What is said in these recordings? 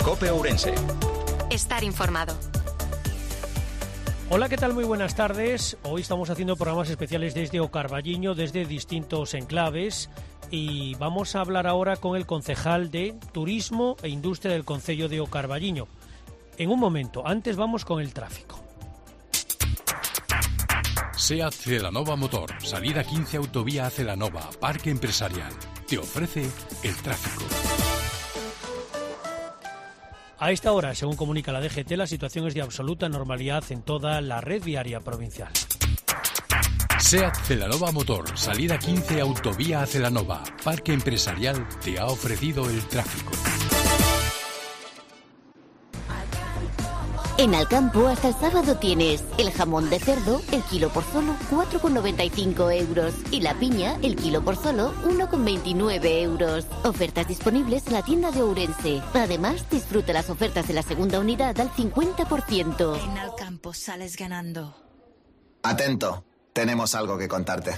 COPE Ourense. Estar informado. Hola, ¿qué tal? Muy buenas tardes. Hoy estamos haciendo programas especiales desde O Carballiño, desde distintos enclaves, y vamos a hablar ahora con el concejal de Turismo e Industria del concello de O Carballiño. En un momento, antes vamos con el tráfico. SEAT Celanova Motor, salida 15 Autovía a Celanova, Parque Empresarial. Te ofrece el tráfico. A esta hora, según comunica la DGT, la situación es de absoluta normalidad en toda la red viaria provincial. SEAT Celanova Motor, salida 15 Autovía a Celanova, Parque Empresarial, te ha ofrecido el tráfico. En Alcampo hasta el sábado tienes el jamón de cerdo, el kilo por solo 4,95 euros y la piña, el kilo por solo 1,29 euros. Ofertas disponibles en la tienda de Ourense. Además, disfruta las ofertas de la segunda unidad al 50%. En Alcampo sales ganando. Atento, tenemos algo que contarte.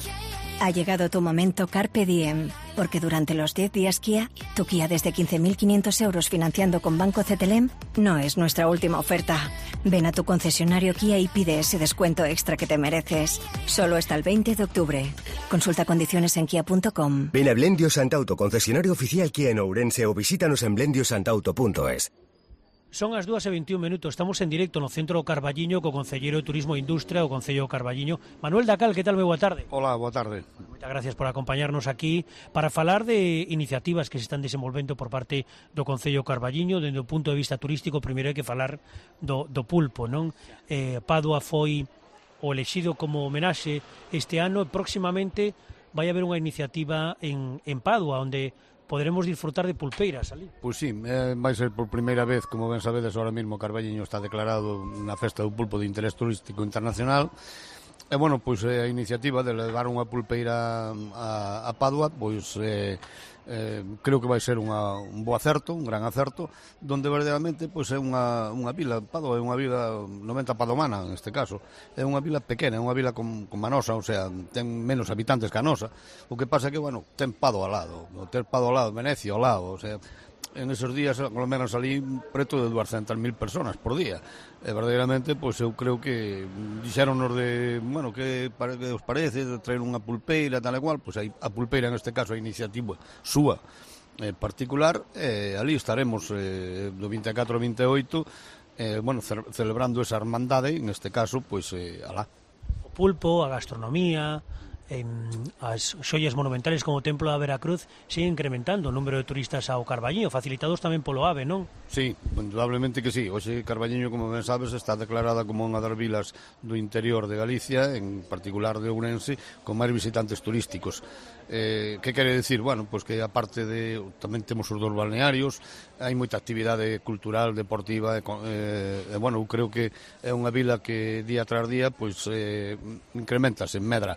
Ha llegado tu momento Carpe Diem, porque durante los 10 días Kia, tu Kia desde 15.500 euros financiando con Banco CTLM no es nuestra última oferta. Ven a tu concesionario Kia y pide ese descuento extra que te mereces. Solo hasta el 20 de octubre. Consulta condiciones en kia.com. Ven a Blendio Santauto, concesionario oficial Kia en Ourense, o visítanos en blendiosantauto.es. Son as 2:21. Estamos en directo no centro do Carballiño co Concelleiro de Turismo e Industria, o Concello do Carballiño. Manuel Dacal, que tal? Moi boa tarde. Hola, boa tarde. Moitas gracias por acompañarnos aquí para falar de iniciativas que se están desenvolvendo por parte do Concello do Carballiño. Dende o punto de vista turístico, primeiro hai que falar do pulpo, non? Padua foi o elexido como homenaxe este ano, e próximamente vai haber unha iniciativa en Padua, onde poderemos disfrutar de pulpeiras ali. Pois sí, vai ser por primeira vez, como ben sabedes, ahora mesmo Carballiño está declarado na festa do pulpo de interés turístico internacional. E, bueno, pois a iniciativa de levar unha pulpeira a Padua, pois creo que vai ser un bo acerto, un gran acerto, donde verdadeiramente pois é unha vila, Padua é unha vila 90 padomana, neste caso, é unha vila pequena, é unha vila con Manosa, o sea, ten menos habitantes que a nosa. O que pasa é que, bueno, ten Padua ao lado, ter Padua ao lado, Venecia ao lado, o sea, en esos días aglomeran salí preto de 200.000 personas por día. E verdadeiramente, pois eu creo que dixéronnos de, bueno, que os parece de traer unha pulpeira, tal e cual, pois a pulpeira, neste caso, a iniciativa súa particular, ali estaremos do 24 ao 28, bueno, celebrando esa hermandade, neste caso, pois, alá. O pulpo, a gastronomía, as xoias monumentales como o Templo da Veracruz siguen incrementando o número de turistas ao Carballiño, facilitados tamén polo AVE, non? Sí, indudablemente que sí. Hoxe Carballiño, como ben sabes, está declarada como unha das vilas do interior de Galicia, en particular de Ourense, con máis visitantes turísticos. Que quere decir? Bueno, pois que aparte de tamén temos os dos balnearios, hai moita actividade cultural, deportiva, bueno, eu creo que é unha vila que día tras día pois incrementase, medra.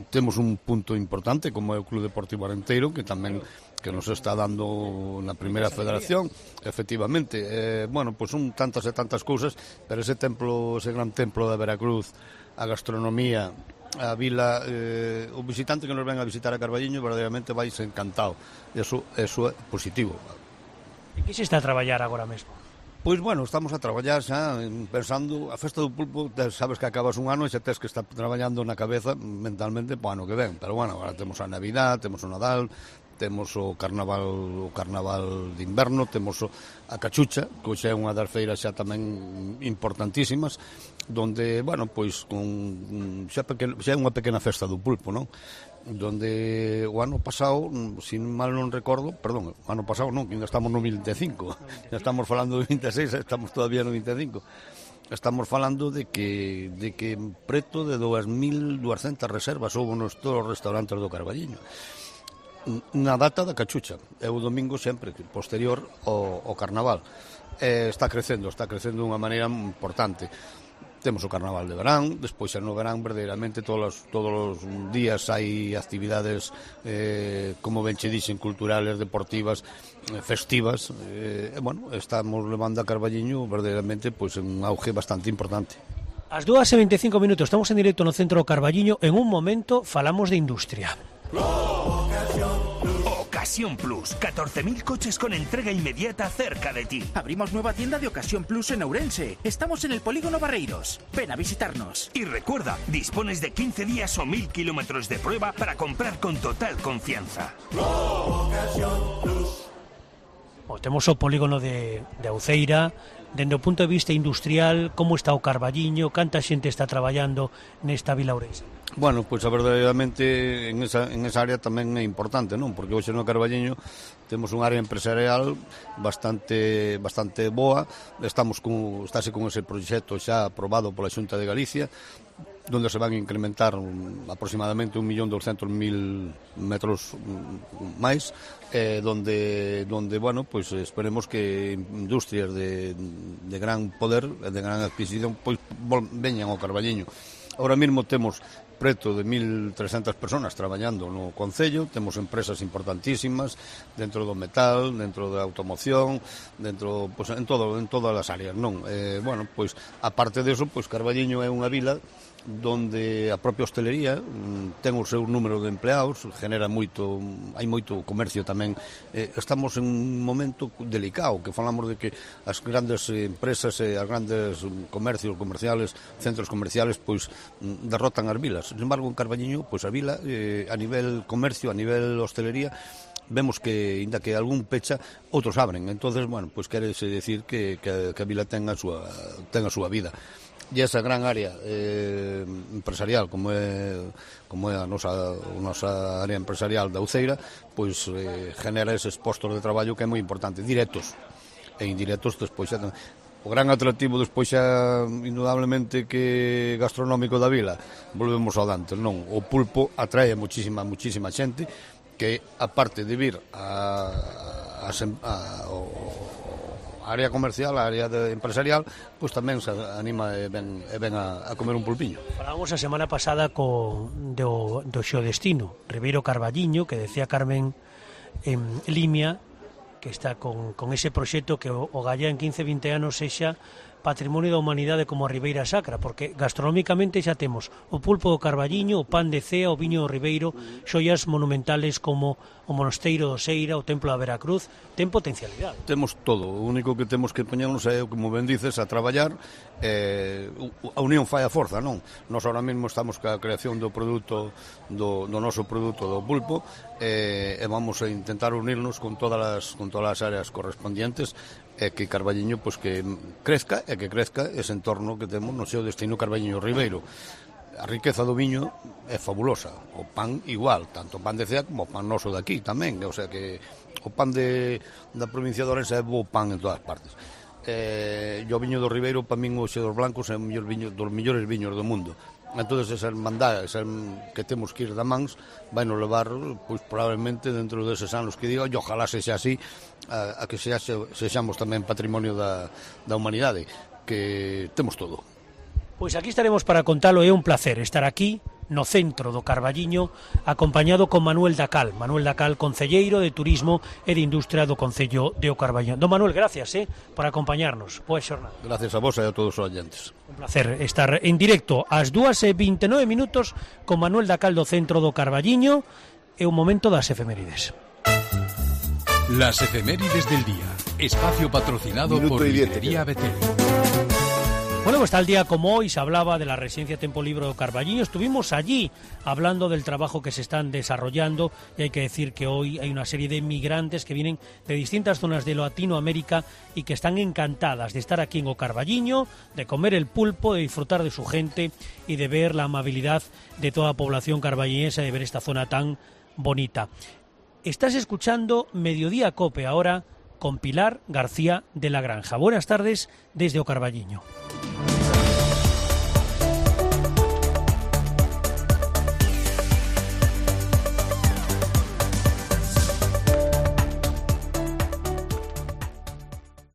Temos un punto importante como é o Club Deportivo Arenteiro, que tamén que nos está dando na primeira federación, efectivamente. Bueno, pois son tantas e tantas cousas, pero ese gran templo da Veracruz, a gastronomía, a vila, o visitante que nos ven a visitar a Carballiño verdadeiramente vais encantado. Eso é positivo. E que se está a traballar agora mesmo? Pois, bueno, estamos a traballar xa pensando, a festa do pulpo, sabes que acabas un ano e xa tes que estar traballando na cabeza mentalmente para o ano que ven, pero bueno, agora temos a Navidad, temos o Nadal, temos o Carnaval de inverno, temos a Cachucha, que xa é unha das feiras xa tamén importantísimas, donde, bueno, pois xa é unha pequena festa do pulpo, non? Donde o ano pasado, se mal non recordo, perdón, o ano pasado non, que ainda estamos no 25, já estamos falando do 26, estamos todavía no 25. Estamos falando de que preto de 2.200 reservas houve nos todos os restaurantes do Carballiño na data da Cachucha, é o domingo sempre posterior ao Carnaval. Está crecendo de unha maneira importante. Temos o Carnaval de verán, despois no verán verdadeiramente todos os días hai actividades, como ben che dixen, culturales, deportivas, festivas, bueno, estamos levando a Carballiño verdadeiramente pois un auge bastante importante. As 2:25, estamos en directo no centro do Carballiño. En un momento falamos de industria. Ocasión Plus. 14.000 coches con entrega inmediata cerca de ti. Abrimos nueva tienda de Ocasión Plus en Ourense. Estamos en el Polígono Barreiros. Ven a visitarnos. Y recuerda, dispones de 15 días o 1.000 kilómetros de prueba para comprar con total confianza. Ocasión Plus. Temos o polígono de Uceira. Dende o punto de vista industrial, como está o Carballiño, canta xente está traballando nesta vila ourense? Bueno, pois verdadeiramente en esa área tamén é importante, non? Porque hoxe no Carballiño temos un área empresarial bastante boa. Estáse con ese proxecto xa aprobado pola Xunta de Galicia, donde se van a incrementar aproximadamente 1.200.000 metros máis, donde bueno, pues esperemos que industrias de gran poder, de gran adquisición, pues veñan ao Carballiño. Ahora mesmo temos preto de 1.300 personas traballando no Concello, temos empresas importantísimas dentro do metal, dentro da automoción, dentro, pues, en todas as áreas, non? Bueno, pois aparte de eso, pois Carballiño é unha vila donde a propia hostelería ten o seu número de empleados, genera moito, hai moito comercio tamén. Estamos en un momento delicado, que falamos de que as grandes empresas e as grandes comercios comerciales, centros comerciales, pois derrotan as vilas. Sin embargo, en Carballiño, pois a vila, a nivel comercio, a nivel hostelería, vemos que, ainda que algún pecha, outros abren. Entonces, bueno, pois querese decir que a vila ten a súa vida. E esa gran área empresarial como é a nosa área empresarial da Uceira, pois genera eses postos de traballo que é moi importante, directos e indirectos. Despois xa o gran atractivo despois xa indudablemente que gastronómico da vila, volvemos ao dantes, non? O pulpo atrae muchísima xente que, aparte de vir a área comercial, a área empresarial, pois tamén se anima e ven a comer un pulpiño. Falamos a semana pasada do Xeodestino, Ribeiro Carballiño, que decía Carmen Limia, que está con ese proxecto que o gallá en 15-20 anos sexa Patrimonio da Humanidade como a Ribeira Sacra, porque gastronómicamente xa temos o pulpo do Carballiño, o pan de cea, o viño do Ribeiro, xoias monumentales como o Monasteiro do Seira, o Templo da Veracruz. Ten potencialidade. Temos todo, o único que temos que poñernos é, como ben dices, a traballar. A unión fai a forza, non? Nós ahora mesmo estamos ca creación do produto, do noso produto do pulpo, e vamos a intentar unirnos con todas as áreas correspondientes, e que Carballiño, pois, que crezca ese entorno que temos no seu destino Carballiño Ribeiro. A riqueza do viño é fabulosa, o pan igual, tanto o pan de cea como o pan noso daqui tamén, o sea que o pan da provincia de Ourense é bo pan en todas partes. E o viño do Ribeiro, para min, o Xedos Blancos é o mellor viño, dos mellores viños do mundo. Entón, esa hermandade que temos que ir da mans vai nos levar, pois, probablemente dentro deses anos que digo, e ojalá sexa así, a que sexamos tamén patrimonio da humanidade, que temos todo. Pois aquí estaremos para contalo. É un placer estar aquí no centro do Carballiño, acompañado con Manuel Dacal, concelleiro de Turismo e de Industria do Concello de O Carballiño. Don Manuel, gracias por acompañarnos. Boa xornada. Gracias a vos e a todos os oyentes. Un placer estar en directo ás 2:29 con Manuel Dacal do centro do Carballiño. É un momento das efemérides. Las efemérides del día. Espacio patrocinado por Librería Betel. Bueno, pues tal día como hoy se hablaba de la residencia Tempo Libre do Carballiño. Estuvimos allí hablando del trabajo que se están desarrollando, y hay que decir que hoy hay una serie de migrantes que vienen de distintas zonas de Latinoamérica y que están encantadas de estar aquí en O Carballiño, de comer el pulpo, de disfrutar de su gente y de ver la amabilidad de toda la población carballiñesa, de ver esta zona tan bonita. Estás escuchando Mediodía Cope ahora con Pilar García de la Granja. Buenas tardes desde O Carballiño.